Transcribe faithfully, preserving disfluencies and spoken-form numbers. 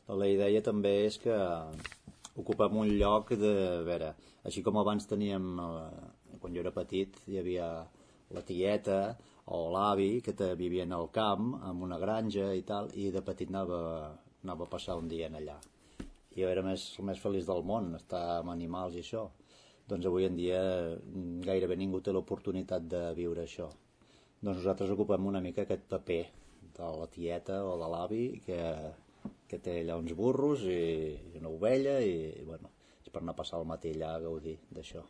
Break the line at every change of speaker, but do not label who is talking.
La idea també és que ocupem un lloc de... A veure, així com abans teníem, eh, quan jo era petit, hi havia la tieta o l'avi que te vivien al camp, en una granja i tal, i de petit anava, anava a passar un dia en allà. I jo era més, el més feliç del món, estar amb animals i això. Doncs avui en dia gairebé ningú té l'oportunitat de viure això. Doncs nosaltres ocupem una mica aquest paper de la tieta o de l'avi que, que té allà uns burros i una ovella i, i bueno, és per anar a passar el matí allà a gaudir d'això.